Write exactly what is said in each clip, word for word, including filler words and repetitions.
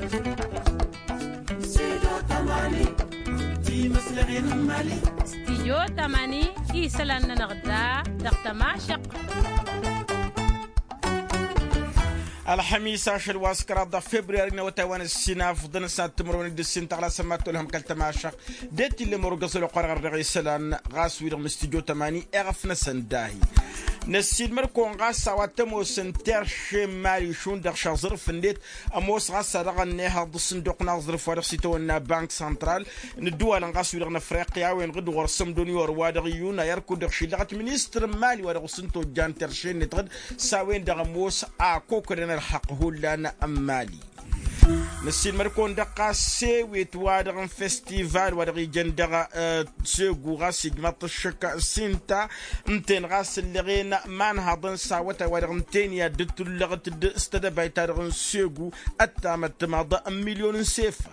Studio tămani. Timǝslăɣen n-imali. Studio tămani isălan-nănăɣ da dăɣ-tămašăq. Ălxămis ašăl wa s-kăraḍ dăɣ-februyari n-awătay wa n-ǝssin afḍăn s-ad-timǝrwen d-ǝssin tăɣla sămmat tolhăm kăl-tămašăq. D-e t-illa mărugăẓ ălwăqq-wa-dăɣ ărdeɣ isălan ɣas wi-dăɣ n-studio tămani eɣăf-năsăn dahi. Năssiilmăd-kăwăn ɣas a-wa t-ămoosăn terše n-imali šund dăɣ-šaẓrǝf-net. Ămoos ɣas a dăɣ-ănnihăḍ s-sǝnduq n-aẓrǝf wa dăɣ-s itawănna bank santral n-ǝddǝwalăn ɣas wi-dăɣ n-afriqya a-wen ɣǝd ɣur-sămdon i-orwa dăɣ-iyun a i-ărkud dăɣ-šillăɣăt ministăr n-imali wa dăɣ-s n-tojjan terše-net dăɣ-s a-wen-dăɣ ămoos akokădăn ălxăqq hullan n-imali. Năssiilmăd-kăwăn dăɣ-ɣas s-ewet wa dăɣ-n festival wa dăɣ-ijăn dăɣ-segu ɣas ijmaḍ-t ăššăk s-inta ǝnta-en ɣas ǝllăɣen imanhaḍăn s-awătay wa dăɣ-ǝnta-en i-ad-dd-tullăɣăt s-tedăbayt-ta-dăɣ n-segu. Ăttamăt timaḍ n-milyon n-sefa.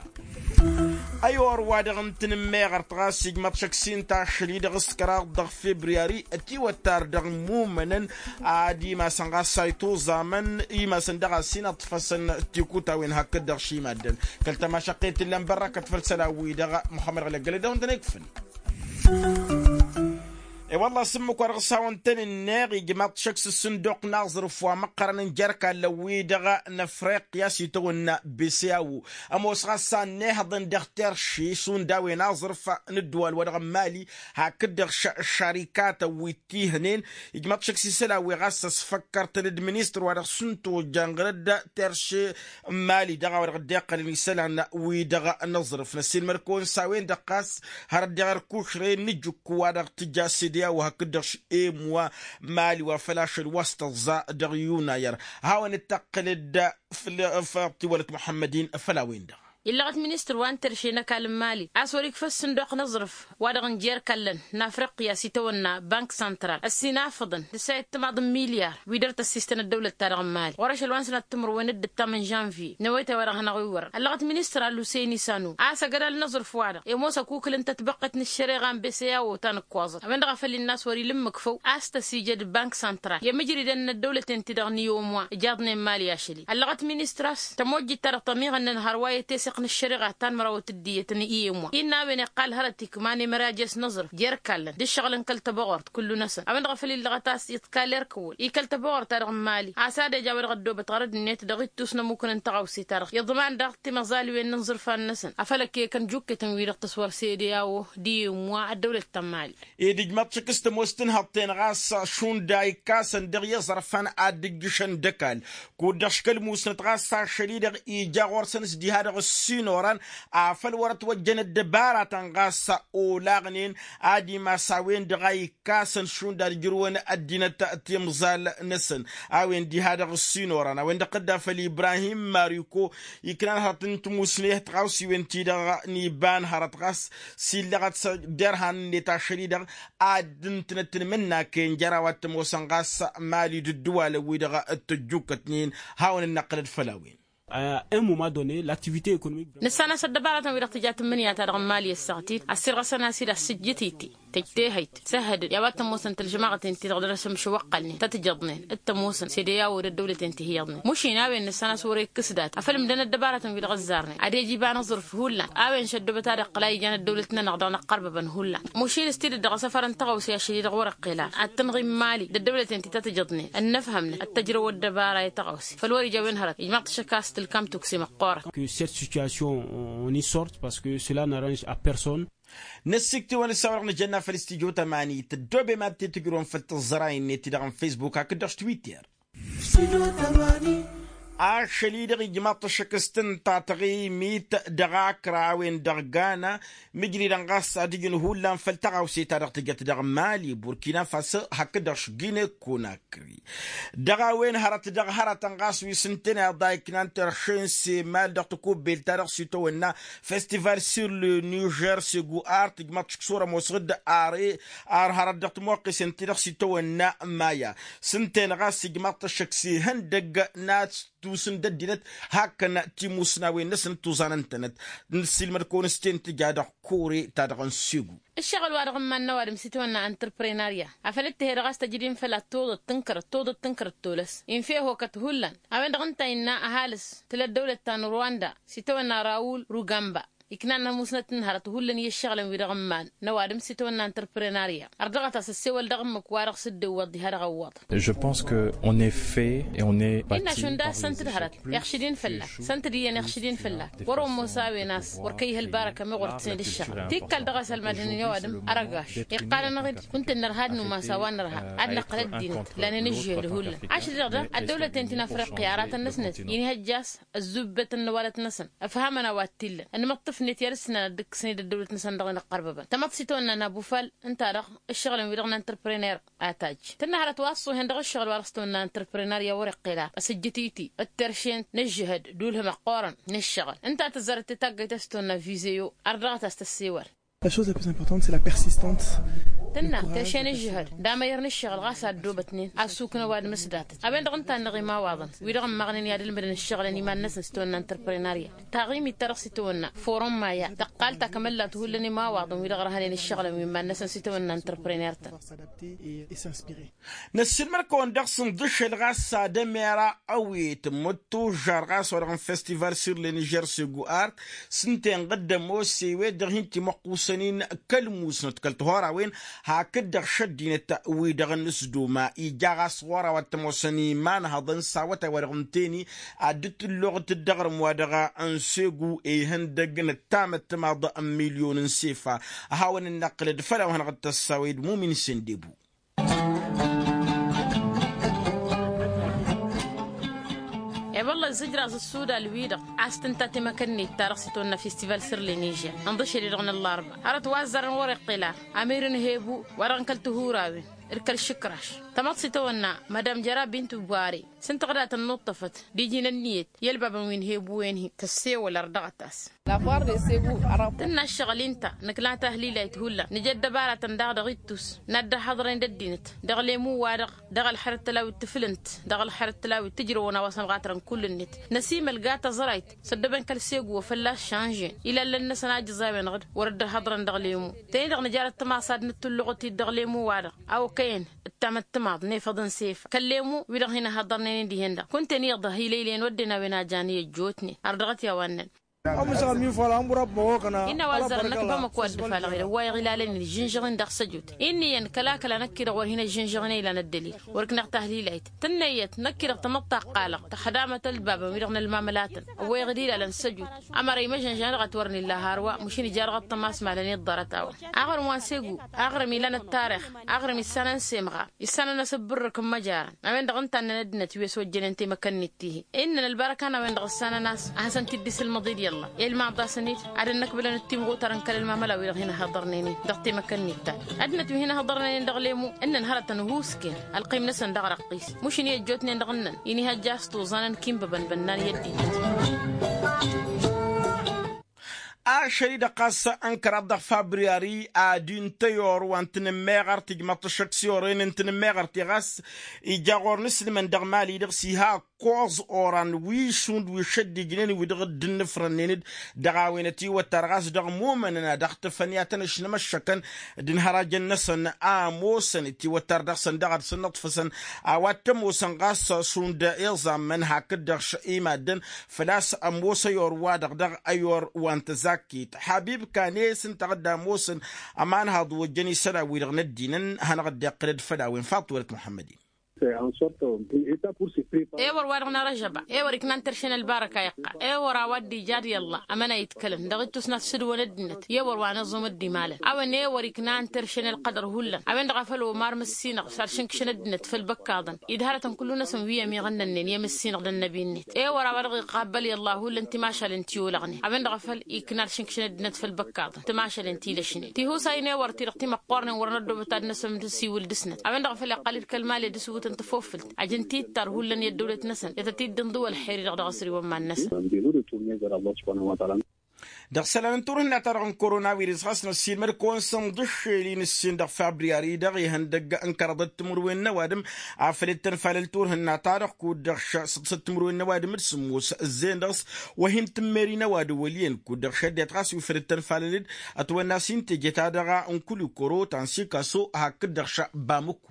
Ăyor wa dăɣ-n tǝnǝmmeɣărt ɣas ijmaḍ-t šăkk s-inta ašăl-i-dăɣ s-kăraḍ dăɣ-februyari ătiwăttar dăɣ-imumănăn ad-imasăn ɣas a ituẓamăn imasăn dăɣ-a-s inaṭṭfăsăn tikutawen hakd-dăɣ šimaddăn. Kăl-tămašăqqet tǝllăn bărrăkăt făll-isălan-wi-dăɣ muxămmăd ɣlăggălăd dăɣ-wăn tăn-ikfăn. I-wălla s-ǝmmǝk wa dăɣ-s hawăn-tăn-ǝnneɣ ijmaḍ-t šăkk s-ǝssǝnduq n-aẓrǝf wa măqqărăn n-jer-ikallăn-wi-dăɣ n-afriqya s-itawănna beseawo. Ămoos ɣas a ǝnnihăḍăn dăɣ-terše šund a-wen aẓrǝf n-ǝddǝwal wa dăɣ-n mali hakd-dăɣ šarikatăn wi t-ihnen. Ijmaḍ-t šăkk s-isălan wi ɣas ăsfăkkărtăn d-ministăr wa dăɣ-s n-tojjan ɣărădd terše n-mali dăɣ-a-wa dăɣ-dd-iqqălăn isălan-wi-dăɣ n-aẓrǝf năssiilmăd-kăwăn s-a-wen-dăɣ ɣas hărăt dăɣ-erkušre n-ijǝkku wa dăɣ-tǝja sedeya wa hakd-dăɣ š-emwa mali wa făl ašăl wa s-tăẓẓa dăɣ-yunayăr. Hawăn-dd-tăqqǝlăd făll-tiwălăt muḥămmăd-in făll-a-wen-dăɣ. Illăɣăt ministăr wa n-terše n-ăkall n-mali a-s wăr-ikfa ǝssǝnduq n-aẓrǝf wa-dăɣ n-jer-ikallăn n-afriqya s-itawănna bank santral ăssinafăḍăn d-săyăt timaḍ n-milyar wi dăr-tăssistăn ăddăwlăt-ta-dăɣ n-mali ɣur-ašăl wa n-sănat timǝrwen d-ǝttam n-žănvye n-ewăyt a-wa-dăɣ hanăɣ-iwwărăn ăllăɣăt ministăr a-l usăyni sanu a-s ăgg-ădal n-aẓrǝf wa-dăɣ i-ămoos ăkukǝl ǝnta ătbăqqet n-ăššăreɣa n-beseyawo ta n-ǝkkoẓăt a-wen-dăɣ a făl innă a-s wăr-ila ǝmmǝk făw a-s tăsijăd bank santral i-mǝjridăn n-ăddăwlăten-ti-dăɣ n-iomwa ǝjaḍnen mali ašăl-i ăllăɣăt ministăr a-s tămojjit-ta-dăɣ tămiɣănnăn hărwa i-teseɣt n-ăššăreɣa ta n-mărawăt d-iyyăt n-iomwa innă a-wen iqqal hărăt ikman emărajes n-aẓrǝf jer-ikallăn d-ǝššăɣǝl n-kăl-tăbăɣort kullu-năsăn a-wen-dăɣ a făl illăɣăt a-s iḍkal erk ăwwăl i-kăl-tăbăɣort-ta-dăɣ n-mali a-s ad-eja a-wa dăɣ-ăddoobăt ɣărăd-net dăɣ-ittus n-ămmukăn n-taɣawse-ta-dăɣ iḍman daɣ timăẓaliwen n-iẓrǝfan-năsăn afăl ăkkekăn jukketăn wi-dăɣ tăswăr sedeyawo d-iyyǝmwa ăddăwlăt ta n-mali. Ed ijmaḍ-t šăkk s-tămoos tǝnhăḍt-en ɣas šund a ikkasăn dăɣ-i iẓrǝfan ad-dd-ǝjjǝšăn d-ăkall kud-dăɣ škăl musnăt ɣas ašăl-i-dăɣ ija ɣur-săn s-diha-dăɣ ăssinorăn afăl wăr-ătwăjjăn ăddăbaratăn ɣas olaɣnen ad-imas a-wen-dăɣ a ikkasăn šund ad-ǝjrǝwăn ăddinăt timẓal-năsăn. A-wen diha-dăɣ ǝssinorăn a-wen-dăɣ tădda făll-ibrahim mariko iknan hărăt n-timusne tɣawsiwen-ti-dăɣ n-iba n-hărăt ɣas s-illăɣăt s-derhan-net ašăl-i-dăɣ ad-ǝntǝnăt tǝnmǝnnaken jer-a-wa t-ămoosăn ɣas mali d-ǝddǝwalăn-wi-dăɣ t-ăjjukkătnen. Hawăn-ănnăqqǝlăd făll-a-wen. À un moment donné l'activité économique. Nǝssan-as ăddăbaratăn-wi-dăɣ tǝja tǝmmǝnǝya-ta-dăɣ n-mali ăssaɣăt-id ăssirɣăsăn-as-dd ăssǝjjǝt-iti tăjj tehăyt s-ehădăn i-a-wa t-ămoosăn tălžămaɣăten-ti-dăɣ dăr-asǝmšǝwăqqălnen tăt-ǝjăḍnen d-tămoosăn sedeyawo d-ăddăwlăten ti hi-iyyăḍnen mušin a-wen nǝssan-as wăr-ekkǝs dat afăl ǝmdăn ăddăbaratăn-wi-dăɣ ǝzzarnen ad-ej iba n-aẓrǝf hullan. A-wen šăddobăt ad-iqqăl a ijan ăddăwlăt-nănăɣ dăɣ-inăqqărbăbăn hullan mušin s-tidǝt dăɣ-asăfăr n-tăɣawse ašăl-i-dăɣ wăr-iqqel ara ad-tǝnɣim mali d-ăddăwlăten ti tăt-ǝjăḍnen ănnăfhămnăt ad-tăjrăw ăddăbara i-tăɣawse făll-wăr-ija a-wen hărăt ijmaḍ-t šăkk a-s tǝlkam tukse măqqoorăt. Que cette situation on y sorte parce que cela n'arrange à personne. Năssiktǝwăn s-a-wa-dăɣ nǝjănna făll-studyo tămani tăddoobem ad-t-tǝjrǝwăn făll-tǝẓẓăray-net ti-dăɣ n-facebook hakd-dăɣ s-twitter. Ašăl-i-dăɣ ijmaḍ-t ăššăk s-tǝnta taɣimit dăɣ-akra a-wen-dăɣ gana mǝjridăn ɣas ad-ǝjǝn hullan făll-taɣawse ta dăɣ-tǝjăt dăɣ-mali burkina faso hakd-dăɣ s-gine konakri. Dăɣ-a-wen hărăt dăɣ-hărătăn ɣas wi s-ǝnta-en iḍa iknan terše n-semal dăɣ-takubbelt ta dăɣ-s itawănna festival sur le niger segu ar tǝjmaḍ-t šǝkk s-wăr-ămoosăɣ-dd ar hărăt dăɣ-timoqqisen-ti-dăɣ s-itawănna maya s-ǝnta-en ɣas ijmaḍ-t ăššăk s-ihăndăgg n-ad-s Tusǝn d-ăddinăt hakkăn timusnawen-năsnăt tuẓanăn-tănăt. Nǝssilmăd-kăwăn s-ten tǝja dăɣ-kore-ta-dăɣ n-segu. Ǝššăɣǝl-wa-dăɣ n-iman n-ăwadǝm s-itawănna entreprenariat afăl dd-tǝhe-dăɣ a-s tăjǝd-in făll-ad-tuḍăt tǝnkărăt tuḍăt tǝnkărăt tolăs infa ehokăt hullan. A-wen-dăɣ ǝnta innă ăhalǝs tǝla ăddăwlăt ta n-ruwanda s-itawănna rawul rugamba iknan n-ămusnăt n-hărăt hullan i-ǝššăɣǝlăn-wi-dăɣ n-iman n-ăwadǝm s-itawănna n-interprenaria. Ărdăɣăt-as ăssewăl dăɣ-ǝmmǝk wa-dăɣ s-dd-ewwăḍ diha dăɣ-ăwwăḍăn. Je pense que on est fait et on est bâti par les choses. Săn-t-dd-hărăt iɣšǝd-in fălla-k săn-t-dd-iyyăn iɣšǝd-in fălla-k. Wăr-ommos a-wen a-s wăr kăy-ih ălbarăka meɣ wăr t-săn-dd ǝššăɣǝl tikkal dăɣ-a-s ălmadăn i-ăwadǝm. Ărăgaš iqqalăn-aɣ-dd kunta ǝnnărha d-numas a-wa nărha ad-năqqǝl ăddinăt lanen ǝžžihăd hullan. Ašăl-dăɣ daɣ ăddăwlăten ti n-afriqya aratăn-năsnăt inhăjja a-s ăzzubătăn n-ăwadăt-năsăn ăfhamăn a-wa t-illăn ănmăṭṭǝfnet i-ad-ǝsnan ad-dd-ǝkkǝsnen d-ăddăwlăt-năsăn dăɣ-inăqqărbăbăn tamăḍt s-itawănna n-abufal. Ǝnta-dăɣ ǝššăɣǝlăn-wi-dăɣ n-interprener a tajj tǝnna hărăt wa ăṣṣuhen dăɣ-ǝššăɣǝl wa dăɣ-s tawănna n-interprener i-a wăr-iqqel a s-ǝjjǝt-i-ti d-terše n-ǝžžǝhăd d-ulhǝm ăqqoorăn n-ǝššăɣǝl. Ǝnta a tǝzzărăt titaggăyt a-s tawănna vizeo ardăɣăt a-s tăssewăl. La chose la plus importante c'est la persistante. Tǝnna terše n-ǝžžǝhăd d-amăyăr n-ǝššăɣǝl ɣas a ăddoobătnen a ăssukǝn ăwadǝm s-datăt. A-wen-dăɣ ǝnta a ănneɣ imawaḍăn wi-dăɣ ǝmmăɣnen i-ad-ǝlmǝdăn ǝššăɣǝlăn iman-năsăn s-tawănna n-interprenaria. Taɣimit-ta-dăɣ s-itawănna forum maya tăqqal takămăllat hullan imawaḍăn wi-dăɣ ărhănen ǝššăɣǝlăn wi n-iman-năsăn s-itawănna n-interprener-tăn. Năssiilmăd-kăwăn dăɣ-s ǝnḍǝšel ɣas ad-ămera ăwet ǝmmǝd tužžar ɣas wa-dăɣ n-festival sirlen ižăr segu art s-ǝnta inɣǝd ămoos i-wet-dăɣ hin-timăqqusăn-in kăl-musnăt kăl-tihorawen. Hakd-dăɣ šăddinăt wi-dăɣ n-asduma ija ɣas ɣur-a-wa t-ămoosăn imanhăḍăn s-awătay wa dăɣ-ǝnta-eni ad-dd-tǝlluɣăt d-aɣrǝm wa dăɣ-n segu ihăndăg n-ăttam ăttămaḍ n-milyon n-sefa. A hawăn-dd-năqqǝlăd făll-a-wa hanăɣ-dd-tăssawăy d-mumin sendebu. E-wălla ǝzzǝjraẓ ǝssudal-wi-dăɣ a-s tǝnta temăkănnit-ta-dăɣ s-itwănna festival săr-lenižer ǝnḍǝšel-i-dăɣ n-ăllarba. Hărăt wa ăzzarăn wăr-iqqel ar amir n-hebu wa dăɣ-n kăl-tihurawen d-kăl-išǝkraš. Tamăḍt s-itwănna madam jăra bint ubare s-ǝnta ɣǝdatăn n-uṭṭăfăt d-iji n-ǝnniyăt i-ălbabăn wi n-hebu-en-hi tăssewăl ărdăɣăt-as. Tǝnna ǝššăɣǝl-i ǝnta nǝkla tahlilayt hullan nǝja ăddăbaratăn daɣ dăɣ-ittus n-ad-dd-ăhhăḍrăyăn d-ăddinăt dăɣ-lemu-wa-dăɣ dăɣ-ălxerăt tălawit tǝflǝnt dăɣ-ălxerăt tălawit tǝjrăwăn a-wa s-ămɣatrăn kull-net. Năsimălga tăẓrayt s-ăddăben kăl-segu wa fălla-s šanžen ilallăn-năsăn a ǝjǝẓ a-wen-dăɣ wăr dd-ăhhăḍrăn dăɣ-lemu. Tănni-dăɣ nǝjarăt tămaṣa ad-nǝttǝlluɣăt-dd dăɣ-lemu-wa-dăɣ a okăyăn d-tamăttămaḍ n-efăḍ n-sefa kăl-lemu wi-dăɣ hin-ăhhăḍărnen-in dihen-dăɣ kunta-en iyyăḍ ăhilăylăyăn wădden a-wen a jan i-ăjjootnen ardăɣăt i-a-wa ǝnnăn. Innă wa ăzzărăn năkk bamăko a dd-ăfalăɣ-dd ăwwayăɣ ilalăn-in ǝžžǝnžăɣ-in dăɣ-săjut. Inn'-iyyăn kăla-kăla năkk-i-dăɣ wăr hin-ăžžǝnžăɣ-in a ilan ăddălil. Wăr ǝkneɣ tahlilayt tǝnnăyyăt năkk-i-dăɣ tamăḍt ta ǝqqalăɣ tăxdamăt ălbabăn-wi-dăɣ n-ălmamălatăn ăwwayăɣ-dd ilalăn săjut. Ămăra imăžănžan dăɣ-ătwărnen la harwa măšin ija dăɣ-ăṭṭămas malăn iḍḍărăt-awăn. Aɣrǝm wa n-segu aɣrǝm ilan ăttarix aɣrǝm issanăn s-emɣar issanăn-as ǝbbǝrrǝk n-imăjarăn. A-wen-dăɣ ǝnta ǝnnăn ăddinăt wi ăswăjjănen temăkănnit tihi. Innăn ălbarăka n-a-wen-dăɣ ǝssanăn-as ad-hasăn-t-dd-isǝlmăḍ-dd i-ălla. Ilmaḍ-asăn-dd ad-ănnăkbǝlăn d-timɣutar n-kăl-ălmamăla-wi-dăɣ hin-ăhhăḍărnen-in dăɣ-temăkănnit-ta. Ăddinăt wi hin-ăhhăḍărnen-in dăɣ-lemu ǝnnăn hărătăn uhusken ălqim-năsăn dăɣ-răqqis. Mušǝn i-ăjjootnen dăɣ-ǝnnăn inihăjja a-s tuẓanăn kinbăbăn bănnan i-ăddinăt. Ašăl-i-dăɣ ɣas ănkăraḍ dăɣ-fabriyari ad-intăyor wa n-tinǝmmeɣărt ijmăḍ-t ăššăk s-i orăyăn n-tinǝmmeɣărt-i ɣas ija ɣur-nǝslǝmăn dăɣ-imali-dăɣ s-iha ăkkoẓ oran wi šund wi šăddijnen wi-dăɣ dd-ǝnnǝfrănnen-dd. Dăɣ-a-wen ătiwăttar ɣas dăɣ-imumănăn ad-ăɣtǝfăn i-ad-tăn-ăšnămăššăkăn d-inhărajăn-năsăn a ămoosăn ătiwăttar dăɣ-săn daɣ ad-săn-nǝḍfăsăn a-wa t-ămoosăn ɣas šund iẓammăn hakd-dăɣ imaddăn. Făl-a-s ămoos ăyor-wa-dăɣ dăɣ-ăyor wa n-tăzakkit ḥabib kane s-ǝnta a dd-ămoosăn ămanhăḍ ojjăn isălan-wi-dăɣ n-ăddinăn hanăɣ-dd-iqqǝlăd făll-a-wen faḍt wălăt muḥămmăd-in. Ewăr wa-dăɣ n-arăžăba ewăr iknan terše n-ălbarăka iqqal ewăr a-wa dd-ija d-i-ălla. Ămăna itkălăn dăɣ-ittus n-ad-t sǝdwăn ăddinăt i-ewăr wa n-aẓum dd-imalăn a-wen ewăr iknan terše n-ălqădăr hullan. A-wen-dăɣ a făl omar măssinăɣ s-ad-šǝnkšăn ăddinăt făll-băkkaḍăn idhărătăn kullu-năsăn wi ămiɣănnănnen i-amǝssinăɣ d-ănnăbi-net ewăr a-wa dăɣ-iqabbăl i-ălla hullan timašalen ti olăɣnen a-wen-dăɣ a făl ikna ad-šǝnkšăn ăddinăt făll-băkkaḍăn timašalen ti lăšnen tihusayn ewăr-ti-dăɣ ti măqqornen wăr năddoobăt ad-năsǝmsiwǝl dăɣ-snăt a-wen-dăɣ a făl iqqal-dd kăl-mali d-asǝwǝtăn tafofǝlt ajăn tittar hullan i-ăddăwlăt-năsăn i-tăt-dd-inḍǝw ălxer-i-dăɣ dăɣ-asriwăn iman-năsăn. Dăɣ-isălan n-turhǝnna-ta-dăɣ n-korona wirǝs ɣas năssiilmăd-kăwăn s-inḍǝššel-in ǝssin dăɣ-fabryari-dăɣ ihăndăgg n-kăraḍăt timǝrwen n-ăwadǝm a făl dd-tăn-falăl turhǝnna-ta-dăɣ kud-dăɣ šăsăt timǝrwen n-ăwadǝm d-sǝmmos ǝzzeyăn dăɣ-s. Wa hin-tǝmmeri n-ăwadǝm wăl' iyyăn kud-dăɣ šăddiyăt ɣas wi făl dd-tăn-falăl-dd ătwănna s-inteje-ta-dăɣ n-kulikoro ta n-sikaso hakd-dăɣ šăbamǝku.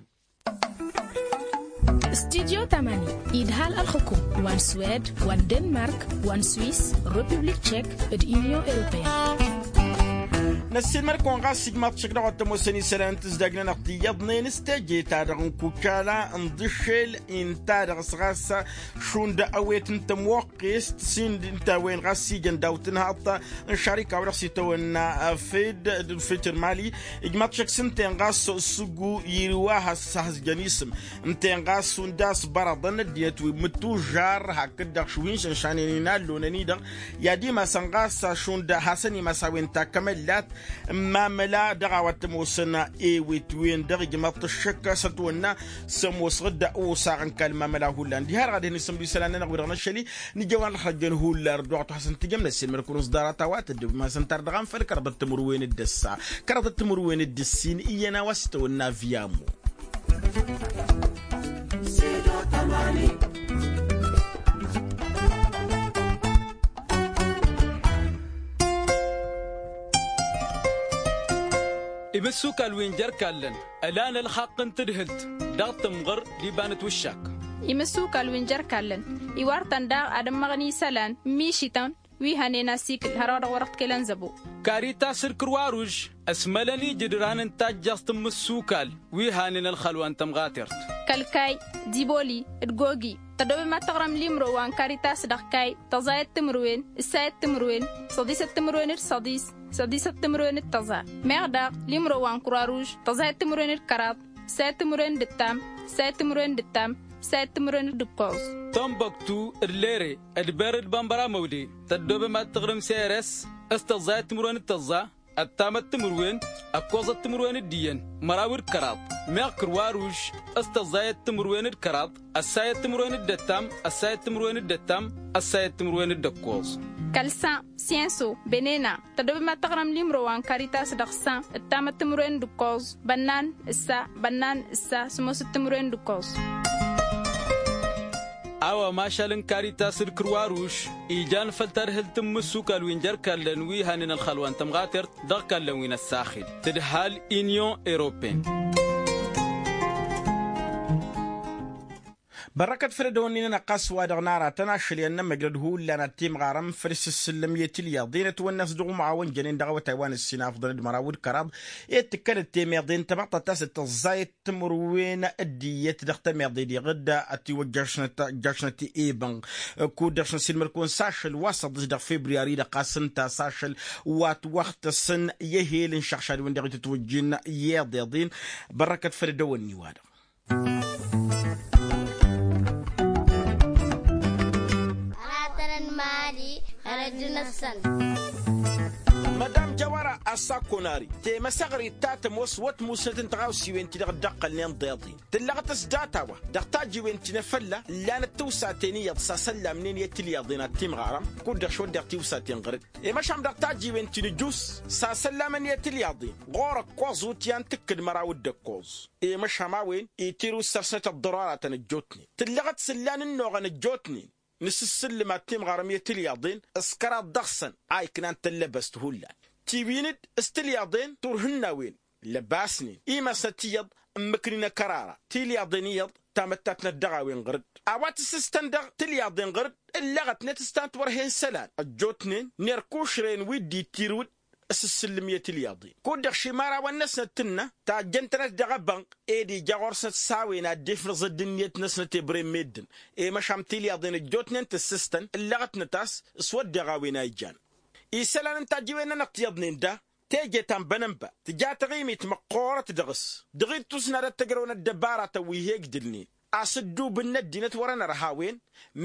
Studyo tamani idhal ălxukum wa n-swed wa n-denmark wa n-swis, republik tšek, d-inyon europeyăn. Năssiilmăd-kăwăn ɣas ijmaḍ tšek dăɣ-wa t-ămoosăn isălan n-tǝzdag-nănăɣ ti iyyăḍnen s-teje-ta-dăɣ n-kukala n-iḍǝššel inta-dăɣ s-ɣas šund ăwet n-tămoqqest s-ind ǝnta a-wen ɣas ijăn daw-tǝnhaḍt n-šarika-wa-dăɣ s-itawănna fed d-fitr mali. Ijmaḍ tšek s-ǝnta-en ɣas sǝggu irǝw a has-jăn isǝm ǝnta-en ɣas šund a-s bărăḍăn ăddinăt wi mǝttužžar hakd-dăɣ šuhinšăn šanen inallonăn-i-dăɣ i-ad-imasăn ɣas šund hasăn-imas a-wen takămăllat n-imamăla dăɣ-a-wa t-ămoosăn ewet-wen-dăɣ ijmaḍ-t ăššăk s-ătwănna s-ămoosăɣ-dd usaɣ n-kall n-imamăla hullan diha-dăɣ ad-hin-isǝmdǝw isălan-nănăɣ-wi-dăɣ n-ašăl-i. Nǝjăwăn ălxăjjăn hullan dd-wa t-hasăn-tǝjăm năssiilmăd-kăwăn s-ḍarăt a-wa tăddobem-asăn tar dăɣ-anfăl kăraḍăt timǝrwen d-ǝssa kăraḍăt timǝrwen d-ǝssin iyyăn a-wa s-itawănna viyamo. Imǝssukal wi n-jer-kallăn ălan ălxaqq n-tǝdhǝlt dăɣ-tǝmɣăr d-iba n-ătwǝššak. Imǝssukal wi n-jer-kallăn iwar-tăn daɣ ad-ămmăɣăn isălan n-mišităn wi hănen asikǝl hărwa dăɣ-wăr-ăɣ t-kălăn zăbo. Karitas d-kǝrwaruž ăsmălăn ijǝdran n-tajjăẓt n-imǝssukal wi hanen ălxălwa n-tămɣatert. Kăl-kay d-iboli d-gogi tăddobem ad-tăɣrăm limro wa n-karitas dăɣ-kay tăẓayăt timǝrwen ǝssayăt timǝrwen săḍisăt timǝrwen d-săḍis săḍisăt timǝrwen d-tăẓa. Meɣ daɣ limro wa n-kǝrwaruž tăẓayăt timǝrwen d-kăraḍ ǝssayăt timǝrwen d-ǝttam ǝssayăt timǝrwen d-ǝttam ǝssayăt timǝrwen d-ǝkkoẓ. Tănbăktu d-lere d-ber d-bănbăra măwle tăddobem ad-tăɣrǝm s-eres s-tăẓẓayăt timǝrwen d-tăẓẓa ăttamăt timǝrwen ăkkoẓăt timǝrwen d-iyyăn măraw d-kăraḍ. Meɣ kǝrwaruž s-tăẓẓayăt timǝrwen d-kăraḍ ăssayăt timǝrwen d-ăttam ăssayăt timǝrwen d-ăttam ăssayăt timǝrwen d-ăkkoẓ. Kăl-san siyenso benena tăddobem ad-tăɣrăm limro wa n-karitas dăɣ-san ǝttamăt timǝrwen d-ǝkkoẓ bănnan ǝssa bănnan ǝssa sǝmmosăt timǝrwen d-ǝkkoẓ. A-wa mašal n-karitas d-kǝrwaruž ijan făll-tadhǝlt n-imǝssukal wi n-jer-kallăn wi hanen ălxălwa n-tămɣatert dăɣ-kallăn wi n-ăssaxil tǝdhal inyon europene. Bărrăkăt făll-ădăwănni-nănăɣ ɣas wa-dăɣ n-aratăn ašăl i-ad-nămăjrăd hullan ad-timɣarăm făll-isǝssǝllăm i-tilyaḍ i-nătwănna s-dăɣ-umɣawăn jănen dăɣ-awătay wa n-ǝssin afḍăn d-măraw d-kăraḍ i-dd-tǝkkălăt temeḍe n-tamăḍt ad-tasăt tăẓẓayăt timǝrwen d-iyyăt dăɣ-temeḍe diɣ-dd ătiwăjjašnăt ăjjašnăt i-ibănɣ. Kud-dăɣ šăn s-ilmăd-kăwăn s-ašăl wa s-ăḍḍǝš dăɣ-februari-dăɣ ɣas ǝnta s-ašăl wa t-wăxtăsăn i-ehel n-išăɣšad-wen-dăɣ itǝtwǝjjin i-iḍeḍen. Bărrăkăt făll-ădăwănni-wa-dăɣ. Aratăn n-mali hărăjjăn-săn. Mădam jawara ăssakonari temăsăɣrit ta tămoos wăr t-musnăt n-tiɣawsiwen-ti-dăɣ dd-ăqqălnen ḍeḍen tǝllăɣăt s-data-wa dăɣ-tajiwen ti n-efălla ǝllanăt tiwsaten iyyăḍ s-asăllamnen i-tilyaḍen ad-timɣarăm kud-dăɣ šwăddeɣ tiwsaten ɣăr-dd i-măšan dăɣ-tajiwen ti n-ǝjus s-asăllamăn i-tilyaḍen ɣur-ǝkkoẓ utyan tǝkkǝd măraw d-ǝkkoẓ i-măšan a-wen itirǝw s-săr-snăt ăḍḍăroratăn ăjjootnen tǝllăɣăt s-ǝllan ǝnnuɣăn ăjjootnen n-asǝssǝllǝm ad-timɣarăm i-tilyaḍen s-kăraḍ dăɣ-săn a iknan tăllăbăst hullan tiwin-dd s-tilyaḍen turhǝnnawen lăbasnen imasnăt iyyăḍ ǝmmǝknin ăkărara tilyaḍen iyyăḍ tamăttatnăt dăɣ-a-wen ɣǝr-dd a-wa t-sǝstăn dăɣ-tilyaḍen ɣǝr-dd ǝllăɣătnet s-tant wăr hen isălan ăjjootnen n-erkušren wi dd-itirǝw-dd s-ǝssǝllǝm i-tilyaḍen kud-dăɣ šimărawăn-năsnăt tǝnna tajjăn-tănăt dăɣ-ebănɣ ed ija ɣur-snăt s-a-wen ad-dd-ifnăẓ ăddinnet-năsnăt i-bren meddǝn i-măšan tilyaḍen ăjjootnen tǝssǝstăn ǝllăɣătnăt a-s s-wădden a-wen a ijan isălan n-tajiwen-nănăɣ tiyyăḍnen da teje ta n-bănănba tǝja taɣimit măqqoorăt dăɣ-s dăɣ-ittus n-ad-ăttăjrăwăn ăddăbaratăn wi he-ǝjdǝlnen a-s ǝddubǝn n-ăddinăt wăr-ănărha a-wen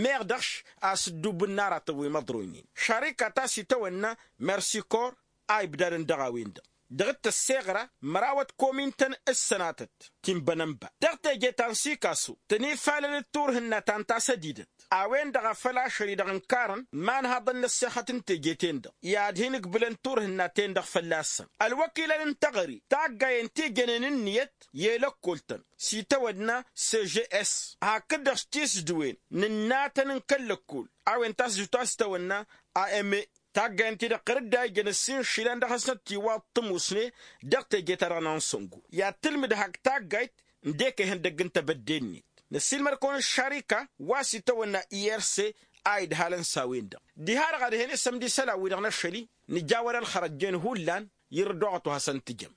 meɣ dăɣ-š a-s ǝddubǝn n-aratăn wi măḍroynen šarika ta s-itawănna mersikor a ibdadăn dăɣ-a-wen-dăɣ dăɣ-t tăsseɣra mărawăt komintăn s-sănatăt ti n-bănănba dăɣ-teje ta n-sikasu. Tăn-ifalăl d-turhǝnna ta n-tasădidăt a-wen-dăɣ a făl ašăl-i-dăɣ ǝnkarăn imanhaḍăn n-ăssexăt n-teje-ten-dăɣ i-ad-hin-ǝkbǝlăn turhǝnna-ten-dăɣ fălla-săn. Ălwăkilăn n-teɣăre taggayen ti jănen ǝnniyăt i-lăkkol-tăn s-itawănna cgs hakd-dăɣ s-tisdǝwen n-ǝnnatăn n-kăl-lăkkol a-wen tasdǝwt a-s itawănna a m e. Taggayen-ti-dăɣ ɣur-dd a ijăn ǝssin išilan dăɣ-hasnăt tiwaḍt tǝmusne dăɣ-teje-ta-dăɣ n-ansăngo i-ad-tǝlmǝd hak taggayt n-dek ihăndăgg n-tebădde-net. Năssiilmăr-kăwăn ǝššarika wa s-itawănna i r c a idhalăn s-a-wen-dăɣ diha-dăɣ ad-hen isămd isălan-wi-dăɣ n-ašăl-i nǝjawăd ălxărăjjen hullan. Irǝddoɣăt wa hasăn-tǝjăm.